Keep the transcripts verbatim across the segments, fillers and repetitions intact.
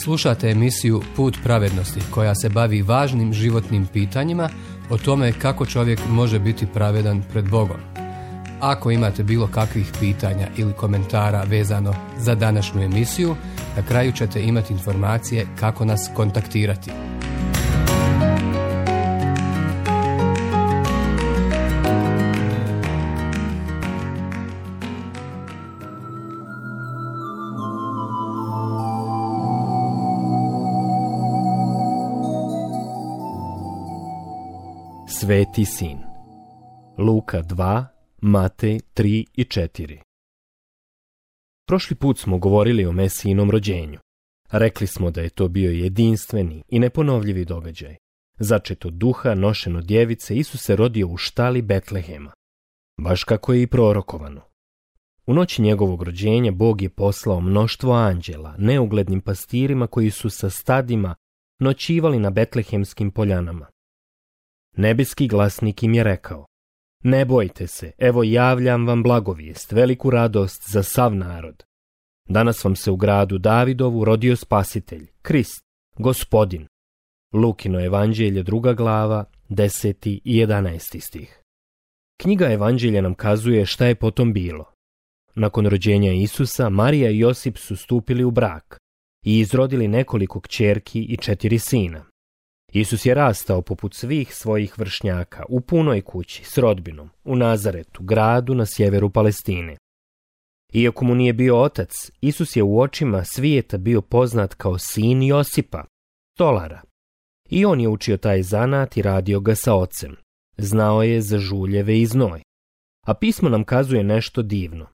Slušate emisiju Put pravednosti koja se bavi važnim životnim pitanjima o tome kako čovjek može biti pravedan pred Bogom. Ako imate bilo kakvih pitanja ili komentara vezano za današnju emisiju, na kraju ćete imati informacije kako nas kontaktirati. Sveti sin. Luka dva, Matej tri i četiri. Prošli put smo govorili o Mesijinom rođenju. Rekli smo da je to bio jedinstveni i neponovljivi događaj. Začet od duha, nošen od djevice, Isus se rodio u štali Betlehema, baš kako je i prorokovano. U noći njegovog rođenja Bog je poslao mnoštvo anđela, neuglednim pastirima koji su sa stadima noćivali na betlehemskim poljanama. Nebeski glasnik im je rekao: ne bojte se, evo javljam vam blagovijest, veliku radost za sav narod. Danas vam se u gradu Davidovu rodio spasitelj, Krist, Gospodin. Lukino evanđelje, druga glava, deseti i jedanaesti stih. Knjiga evanđelja nam kazuje šta je potom bilo. Nakon rođenja Isusa, Marija i Josip su stupili u brak i izrodili nekoliko kćerki i četiri sina. Isus je rastao poput svih svojih vršnjaka u punoj kući s rodbinom u Nazaretu, gradu na sjeveru Palestine. Iako mu nije bio otac, Isus je u očima svijeta bio poznat kao sin Josipa, stolara. I on je učio taj zanat i radio ga sa ocem. Znao je za žuljeve i znoj. A pismo nam kazuje nešto divno.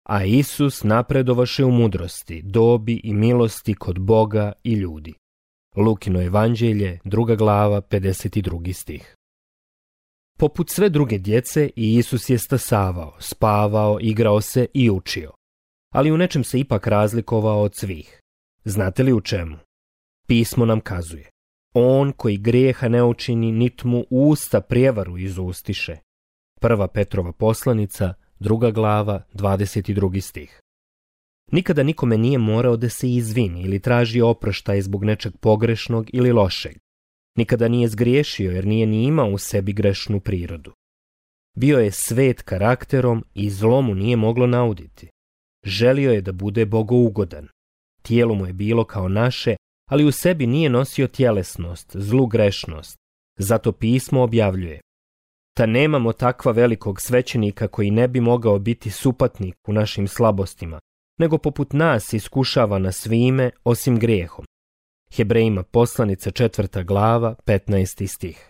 A Isus napredovaše u mudrosti, dobi i milosti kod Boga i ljudi. Lukino evanđelje, druga glava, pedeset drugi stih. Poput sve druge djece, i Isus je stasavao, spavao, igrao se i učio. Ali u nečem se ipak razlikovao od svih. Znate li u čemu? Pismo nam kazuje: on koji grijeha ne učini, nit mu usta prijevaru izustiše. Prva Petrova poslanica, druga glava, dvadeset drugi stih. Nikada nikome nije morao da se izvini ili traži oproštaj zbog nečeg pogrešnog ili lošeg. Nikada nije zgriješio jer nije ni imao u sebi grešnu prirodu. Bio je svet karakterom i zlo mu nije moglo nauditi. Želio je da bude bogougodan. Tijelo mu je bilo kao naše, ali u sebi nije nosio tjelesnost, zlu grešnost. Zato pismo objavljuje: ta nemamo takva velikog svećenika koji ne bi mogao biti supatnik u našim slabostima, nego poput nas iskušava na svime osim grijehom. Hebrejima poslanica, četvrta glava, petnaesti stih.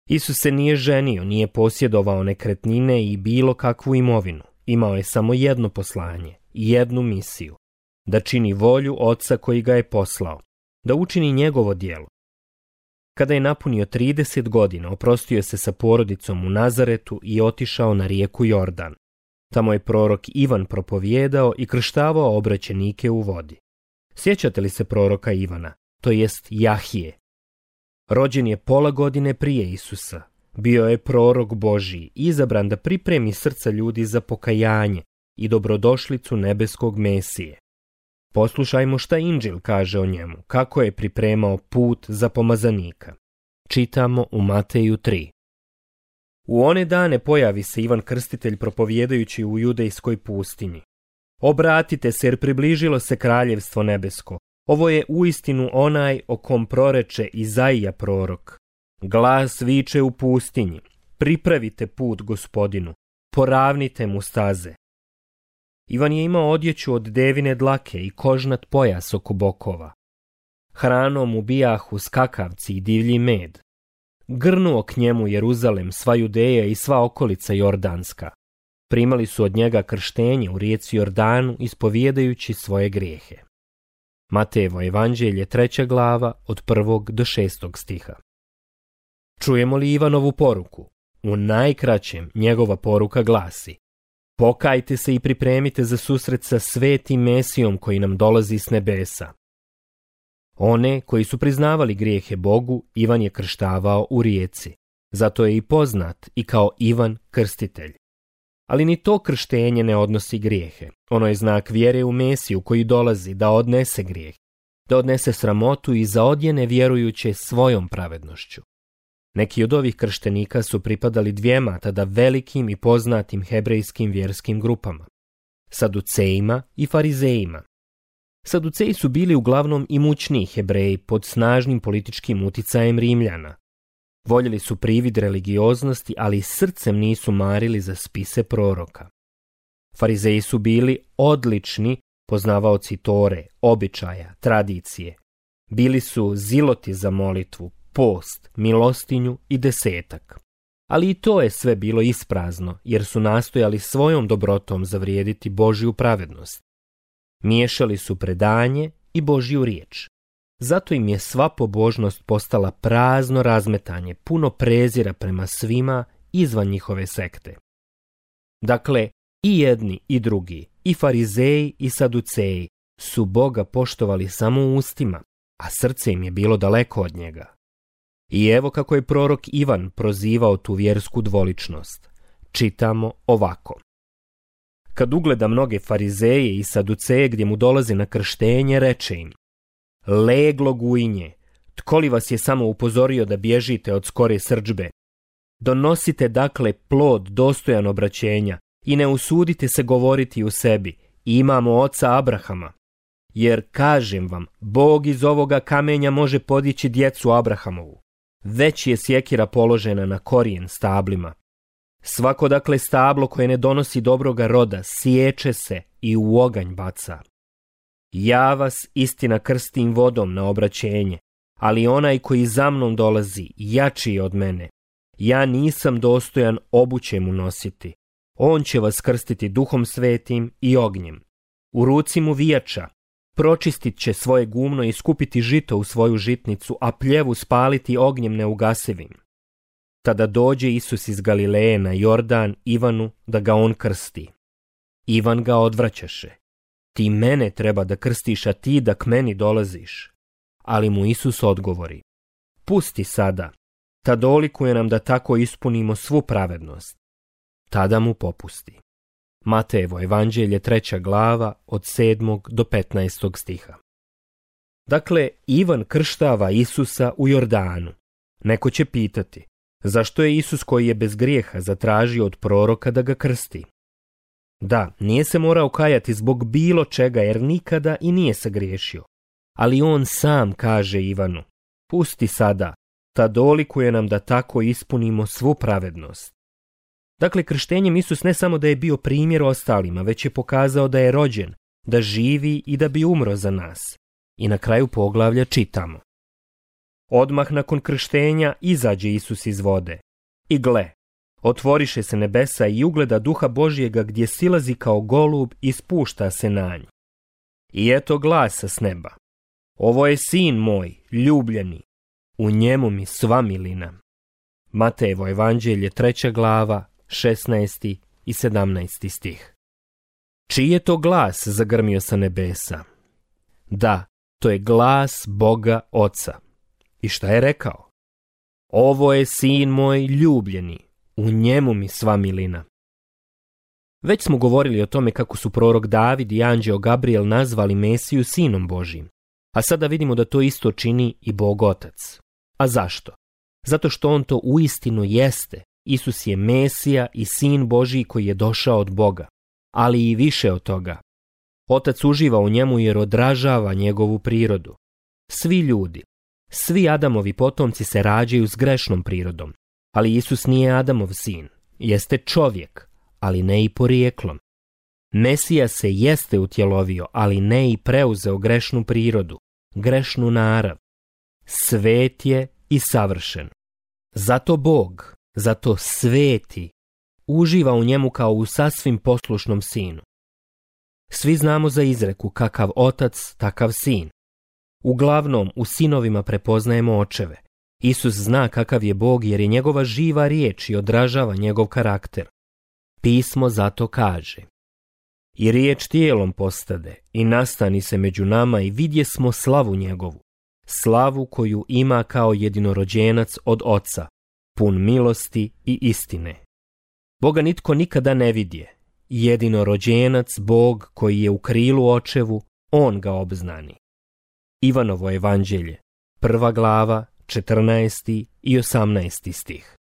Isus se nije ženio, nije posjedovao nekretnine i bilo kakvu imovinu. Imao je samo jedno poslanje i jednu misiju: da čini volju Oca koji ga je poslao, da učini njegovo djelo. Kada je napunio trideset godina, oprostio se sa porodicom u Nazaretu i otišao na rijeku Jordan. Tamo je prorok Ivan propovijedao i krštavao obraćenike u vodi. Sjećate li se proroka Ivana, to jest Jahije? Rođen je pola godine prije Isusa. Bio je prorok Božji, izabran da pripremi srca ljudi za pokajanje i dobrodošlicu nebeskog Mesije. Poslušajmo šta Inđil kaže o njemu, kako je pripremao put za pomazanika. Čitamo u Mateju tri. U one dane pojavi se Ivan Krstitelj propovijedajući u judejskoj pustinji: obratite se, jer približilo se kraljevstvo nebesko. Ovo je uistinu onaj o kom proreče Izaija prorok. Glas viče u pustinji: pripravite put Gospodinu, poravnite mu staze. Ivan je imao odjeću od devine dlake i kožnat pojas oko bokova. Hranom mu bijahu skakavci i divlji med. Grnuo k njemu Jeruzalem, sva Judeja i sva okolica Jordanska. Primali su od njega krštenje u rijeci Jordanu, ispovijedajući svoje grijehe. Matejevo evanđelje, treća glava, od prvog do šestog stiha. Čujemo li Ivanovu poruku? U najkraćem njegova poruka glasi: pokajte se i pripremite za susret sa svetim Mesijom koji nam dolazi s nebesa. One koji su priznavali grijehe Bogu, Ivan je krštavao u rijeci. Zato je i poznat i kao Ivan Krstitelj. Ali ni to krštenje ne odnosi grijehe. Ono je znak vjere u Mesiju koji dolazi da odnese grijeh. da odnese sramotu i zaodjene vjerujuće svojom pravednošću. Neki od ovih krštenika su pripadali dvijema tada velikim i poznatim hebrejskim vjerskim grupama, Saducejima i Farizejima. Saduceji su bili uglavnom imućniji Hebreji pod snažnim političkim uticajem Rimljana. Voljeli su privid religioznosti, ali srcem nisu marili za spise proroka. Farizeji su bili odlični poznavaoci Tore, običaja, tradicije. Bili su ziloti za molitvu, post, milostinju i desetak. Ali i to je sve bilo isprazno, jer su nastojali svojom dobrotom zavrijediti Božju pravednost. Miješali su predanje i Božju riječ. Zato im je sva pobožnost postala prazno razmetanje, puno prezira prema svima izvan njihove sekte. Dakle, i jedni i drugi, i farizeji i saduceji, su Boga poštovali samo u ustima, a srce im je bilo daleko od njega. I evo kako je prorok Ivan prozivao tu vjersku dvoličnost. Čitamo ovako. Kad ugleda mnoge farizeje i saduceje gdje mu dolaze na krštenje, reče im: leglo gujinje, tko li vas je samo upozorio da bježite od skore srdžbe? Donosite dakle plod dostojan obraćenja i ne usudite se govoriti u sebi: imamo oca Abrahama. Jer kažem vam, Bog iz ovoga kamenja može podići djecu Abrahamovu. Već je sjekira položena na korijen stablima. Svako dakle stablo koje ne donosi dobroga roda sječe se i u oganj baca. Ja vas istina krstim vodom na obraćenje, ali onaj koji za mnom dolazi jači je od mene. Ja nisam dostojan obuće mu nositi. On će vas krstiti duhom svetim i ognjem. U ruci mu vijača, pročistit će svoje gumno i skupiti žito u svoju žitnicu, a pljevu spaliti ognjem neugasivim. Tada dođe Isus iz Galileje na Jordan Ivanu da ga on krsti. Ivan ga odvraćaše. Ti mene treba da krstiš, a ti da k meni dolaziš. Ali mu Isus odgovori: pusti sada, ta dolikuje nam da tako ispunimo svu pravednost. Tada mu popusti. Matejevo evanđelje, treća glava, od sedmog do petnaestog stiha. Dakle, Ivan krštava Isusa u Jordanu. Neko će pitati: zašto je Isus koji je bez grijeha zatražio od proroka da ga krsti? Da, nije se morao kajati zbog bilo čega, jer nikada i nije se griješio. Ali on sam kaže Ivanu: pusti sada, ta dolikuje nam da tako ispunimo svu pravednost. Dakle, krštenjem Isus ne samo da je bio primjer ostalima, već je pokazao da je rođen, da živi i da bi umro za nas. I na kraju poglavlja čitamo: odmah nakon krštenja izađe Isus iz vode. I gle, otvoriše se nebesa i ugleda Duha Božjega gdje silazi kao golub i spušta se na nj. I eto glasa s neba: ovo je sin moj, ljubljeni, u njemu mi sva milina. Matejevo evanđelje, treća glava, šesnaesti i sedamnaesti stih. Čiji je to glas zagrmio sa nebesa? Da, to je glas Boga Oca. I šta je rekao? Ovo je sin moj ljubljeni, u njemu mi sva milina. Već smo govorili o tome kako su prorok David i anđeo Gabriel nazvali Mesiju sinom Božjim, a sada vidimo da to isto čini i Bog Otac. A zašto? Zato što on to uistinu jeste. Isus je Mesija i sin Božji koji je došao od Boga, ali i više od toga. Otac uživa u njemu jer odražava njegovu prirodu. Svi ljudi, svi Adamovi potomci se rađaju s grešnom prirodom, ali Isus nije Adamov sin, jeste čovjek, ali ne i porijeklom. Mesija se jeste utjelovio, ali ne i preuzeo grešnu prirodu, grešnu narav. Svet je i savršen. Zato Bog, zato sveti, uživa u njemu kao u sasvim poslušnom sinu. Svi znamo za izreku kakav otac, takav sin. Uglavnom, u sinovima prepoznajemo očeve. Isus zna kakav je Bog jer je njegova živa riječ i odražava njegov karakter. Pismo zato kaže: i riječ tijelom postade i nastani se među nama i vidje smo slavu njegovu, slavu koju ima kao jedinorođenac od Oca, pun milosti i istine. Boga nitko nikada ne vidje. Jedinorođenac, Bog koji je u krilu očevu, on ga obznani. Ivanovo evanđelje, prva glava, četrnaesti i osamnaesti stih.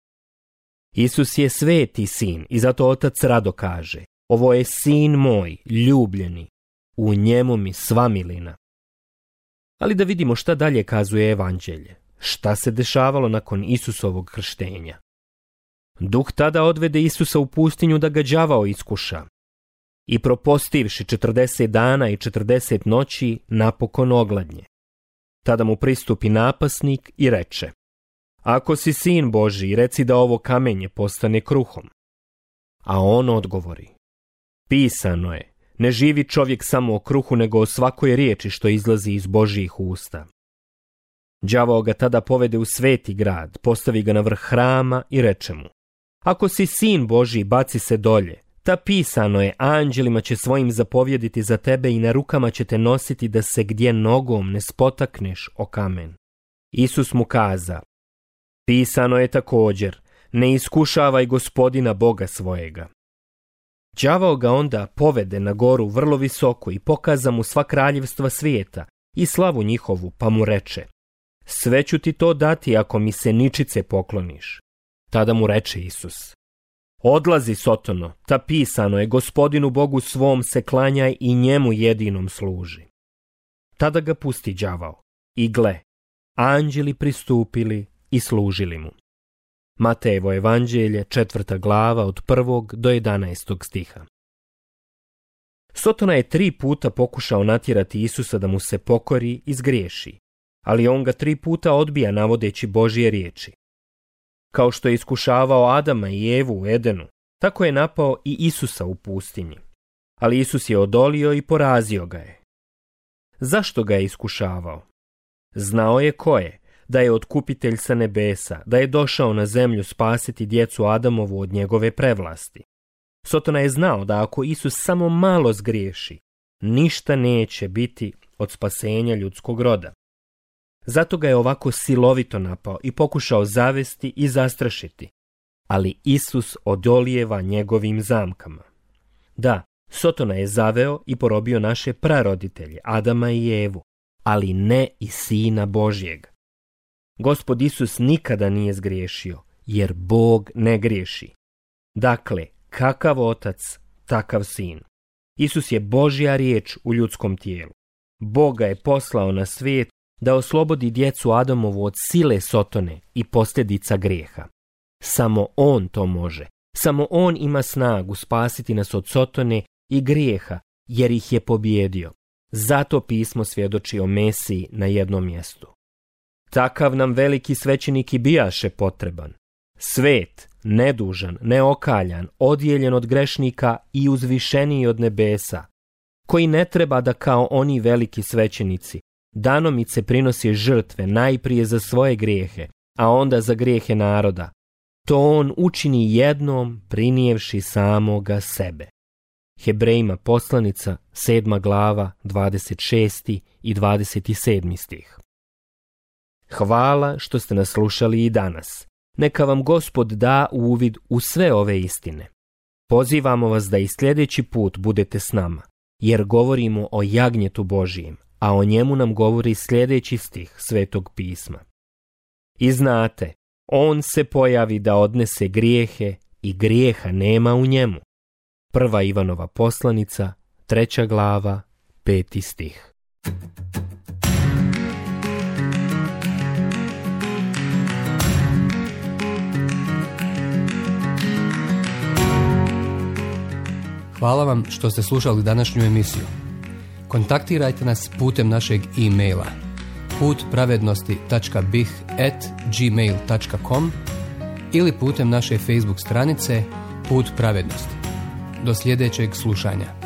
Isus je sveti sin i zato Otac rado kaže: ovo je sin moj, ljubljeni, u njemu mi sva milina. Ali da vidimo šta dalje kazuje evanđelje. Šta se dešavalo nakon Isusovog krštenja? Duh tada odvede Isusa u pustinju da ga đavao iskuša. I propostivši četrdeset dana i četrdeset noći, napokon ogladnje. Tada mu pristupi napasnik i reče: ako si sin Božji, reci da ovo kamenje postane kruhom. A on odgovori: pisano je, ne živi čovjek samo o kruhu, nego o svakoj riječi što izlazi iz Božjih usta. Đavao ga tada povede u sveti grad, postavi ga na vrh hrama i reče mu: ako si sin Božji, baci se dolje. Ta pisano je, anđelima će svojim zapovjediti za tebe i na rukama će te nositi da se gdje nogom ne spotakneš o kamen. Isus mu kaza: pisano je također, ne iskušavaj Gospodina Boga svojega. Đavao ga onda povede na goru vrlo visoko i pokaza mu sva kraljevstva svijeta i slavu njihovu, pa mu reče: sve ću ti to dati ako mi se ničice pokloniš. Tada mu reče Isus: odlazi, Sotono, ta pisano je, Gospodinu Bogu svom se klanjaj i njemu jedinom služi. Tada ga pusti đavao i gle, anđeli pristupili i služili mu. Matejevo evanđelje, četvrta glava, od prvog do jedanaestog stiha. Sotona je tri puta pokušao natjerati Isusa da mu se pokori i zgriješi, ali on ga tri puta odbija navodeći Božje riječi. Kao što je iskušavao Adama i Evu u Edenu, tako je napao i Isusa u pustinji. Ali Isus je odolio i porazio ga je. Zašto ga je iskušavao? Znao je ko je, da je otkupitelj sa nebesa, da je došao na zemlju spasiti djecu Adamovu od njegove prevlasti. Sotona je znao da ako Isus samo malo zgriješi, ništa neće biti od spasenja ljudskog roda. Zato ga je ovako silovito napao i pokušao zavesti i zastrašiti. Ali Isus odolijeva njegovim zamkama. Da, Sotona je zaveo i porobio naše praroditelje, Adama i Evu, ali ne i Sina Božjeg. Gospod Isus nikada nije zgriješio, jer Bog ne griješi. Dakle, kakav otac, takav sin. Isus je Božja riječ u ljudskom tijelu. Bog ga je poslao na svijet da oslobodi djecu Adamovu od sile Sotone i posljedica grijeha. Samo on to može. Samo on ima snagu spasiti nas od Sotone i grijeha, jer ih je pobijedio. Zato pismo svjedoči o Mesiji na jednom mjestu. Takav nam veliki svećenik i bijaše potreban. Svet, nedužan, neokaljan, odijeljen od grešnika i uzvišeniji od nebesa, koji ne treba da kao oni veliki svećenici danomice prinosi žrtve najprije za svoje grijehe, a onda za grijehe naroda. To on učini jednom prinijevši samoga sebe. Hebrejima poslanica, sedma glava, dvadeset šesti i dvadeset sedmi stih. Hvala što ste nas slušali i danas. Neka vam Gospod da uvid u sve ove istine. Pozivamo vas da i sljedeći put budete s nama, jer govorimo o jagnjetu Božijem, a o njemu nam govori sljedeći stih Svetog pisma. I znate, on se pojavi da odnese grijehe i grijeha nema u njemu. Prva Ivanova poslanica, treća glava, peti stih. Hvala vam što ste slušali današnju emisiju. Kontaktirajte nas putem našeg e-maila put pravednosti tačka b i h at gmail tačka com ili putem naše Facebook stranice Put pravednosti. Do sljedećeg slušanja.